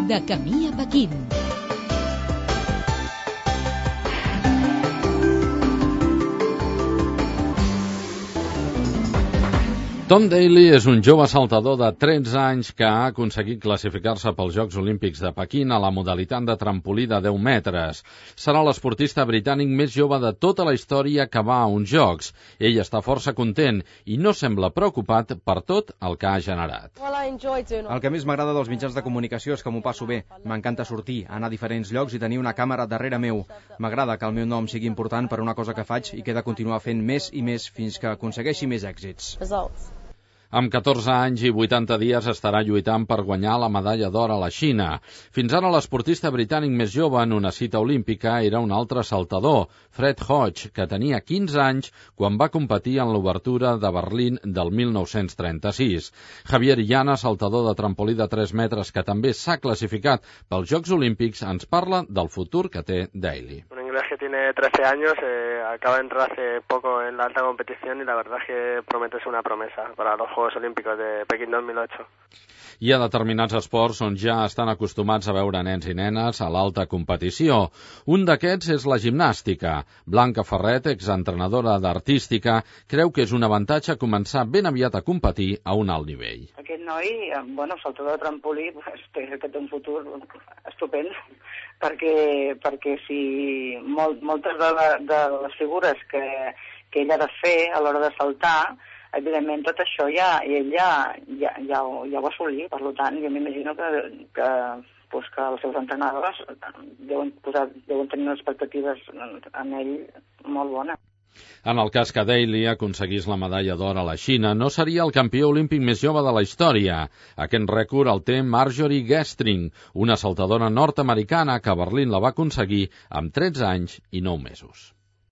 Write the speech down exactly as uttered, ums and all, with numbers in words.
De camí a Pequín. Tom Daley és un jove saltador de tretze anys que ha aconseguit classificar-se pels Jocs Olímpics de Pequín a la modalitat de trampolí de deu metres. Serà l'esportista britànic més jove de tota la història que va a uns Jocs. Ell està força content i no sembla preocupat per tot el que ha generat. El que més m'agrada dels mitjans de comunicació és que m'ho passo bé. M'encanta sortir, anar a diferents llocs i tenir una càmera darrere meu. M'agrada que el meu nom sigui important per una cosa que faig i que he de continuar fent més i més fins que aconsegueixi més èxits. Amb catorze anys i vuitanta dies estarà lluitant per guanyar la medalla d'or a la Xina. Fins ara l'esportista britànic més jove en una cita olímpica era un altre saltador, Fred Hodge, que tenia quinze anys quan va competir en l'obertura de Berlín del mil nou-cents trenta-sis. Javier Llana, saltador de trampolí de tres metres que també s'ha classificat pels Jocs Olímpics, ens parla del futur que té Daley. Un inglés que tiene trece años, eh, acaba de entrar hace poco en la alta competición y la verdad es que promete ser una promesa para los Juegos Olímpicos de Pekín dos mil ocho. Hi ha determinats esports on ja estan acostumats a veure nens i nenes a l'alta competició. Un d'aquests és la gimnàstica. Blanca Ferret, exentrenadora d'artística, creu que és un avantatge començar ben aviat a competir a un alt nivell. Aquest noi, bueno, saltador de trampolí, té un futur estupend, perquè, perquè si molt, moltes de, la, de les figures que, que ell ha de fer a l'hora de saltar, evidentment tot això ja, ell ja, ja, ja, ho, ja ho va assolir, per tant jo m'imagino que, que, pues que els seus entrenadors deuen, posar, deuen tenir unes expectatives en ell molt bones. En el cas que Daley aconseguís la medalla d'or a la Xina, no seria el campió olímpic més jove de la història. Aquest rècord el té Marjorie Gestring, una saltadora nord-americana que a Berlín la va aconseguir amb tretze anys i nou mesos.